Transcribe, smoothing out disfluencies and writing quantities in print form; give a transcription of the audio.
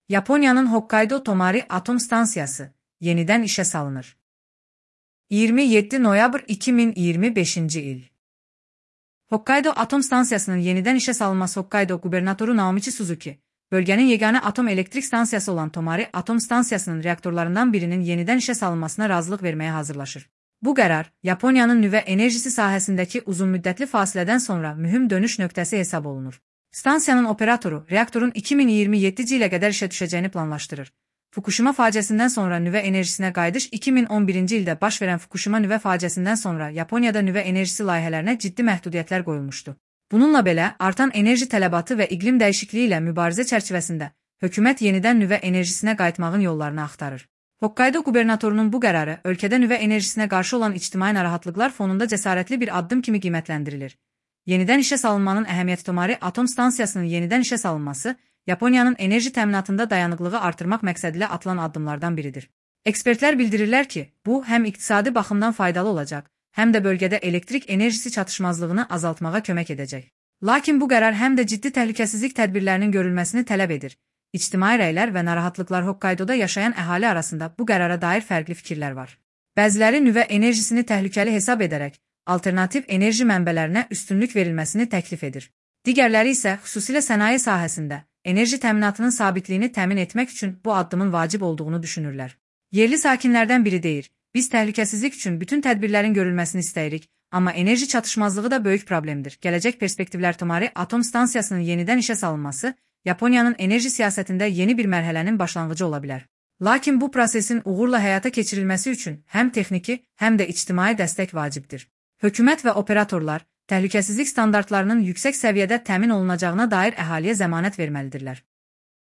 Yaponiyanın Hokkaido Tomari Atom Stansiyası yeniden işe salınır. 27 noyabr 2025 il. Hokkaido Atom Stansiyasının yeniden işe salınması Hokkaido Gubernatoru Naomichi Suzuki, bölgenin yegane atom elektrik stansiyası olan Tomari Atom Stansiyasının reaktörlerinden birinin yeniden işe salınmasına razılıq vermeye hazırlaşır. Bu qərar, Yaponiyanın nüvə enerjisi sahəsindəki uzunmüddətli fasilədən sonra mühüm dönüş nöqtəsi hesab olunur. Stansiyanın operatoru reaktorun 2027 ilə qədər işə düşəcəyini planlaşdırır. Fukushima faciəsindən sonra nüvə enerjisinə qayıdış 2011-ci ildə baş verən Fukushima nüvə faciəsindən sonra Yaponiyada nüvə enerjisi layihələrinə ciddi məhdudiyyətlər qoyulmuşdu. Bununla belə, artan enerji tələbatı və iqlim dəyişikliyi ilə mübarizə çərçivəsində hökumət yenidən nüvə enerjisinə qayıtmağın yollarını axtarır. Hokkaido qubernatorunun bu qərarı ölkədə nüvə enerjisinə qarşı olan ictimai narahatlıqlar fonunda cəsarətli bir addım kimi qiymətləndirilir. Yenidən işə salınmanın əhəmiyyəti Tomari Atom Stansiyasının yenidən işə salınması, Yaponiyanın enerji təminatında dayanıqlığı artırmaq məqsədilə atılan addımlardan biridir. Ekspertlər bildirirlər ki, bu həm iqtisadi baxımdan faydalı olacaq, həm də bölgədə elektrik enerjisi çatışmazlığını azaltmağa kömək edəcək. Lakin bu qərar həm də ciddi təhlükəsizlik tədbirlərinin görülməsini tələb edir. İctimai rəylər və narahatlıqlar Hokkaidoda yaşayan əhali arasında bu qərara dair fərqli fikirlər var. Bəziləri nüvə enerjisini təhlükəli hesab edərək, alternativ enerji mənbələrinə üstünlük verilməsini təklif edir. Digərləri isə xüsusilə sənaye sahəsində enerji təminatının sabitliyini təmin etmək üçün bu addımın vacib olduğunu düşünürlər. Yerli sakinlərdən biri deyir, biz təhlükəsizlik üçün bütün tədbirlərin görülməsini istəyirik, amma enerji çatışmazlığı da böyük problemdir. Gələcək perspektivlər Tomari Atom Stansiyasının yenidən işə salınması, Yaponiyanın enerji siyasətində yeni bir mərhələnin başlanğıcı ola bilər. Lakin bu prosesin uğurla həyata keçirilməsi üçün həm texniki, həm də ictimai dəstək vacibdir. Hökumət və operatorlar təhlükəsizlik standartlarının yüksək səviyyədə təmin olunacağına dair əhaliyə zəmanət verməlidirlər.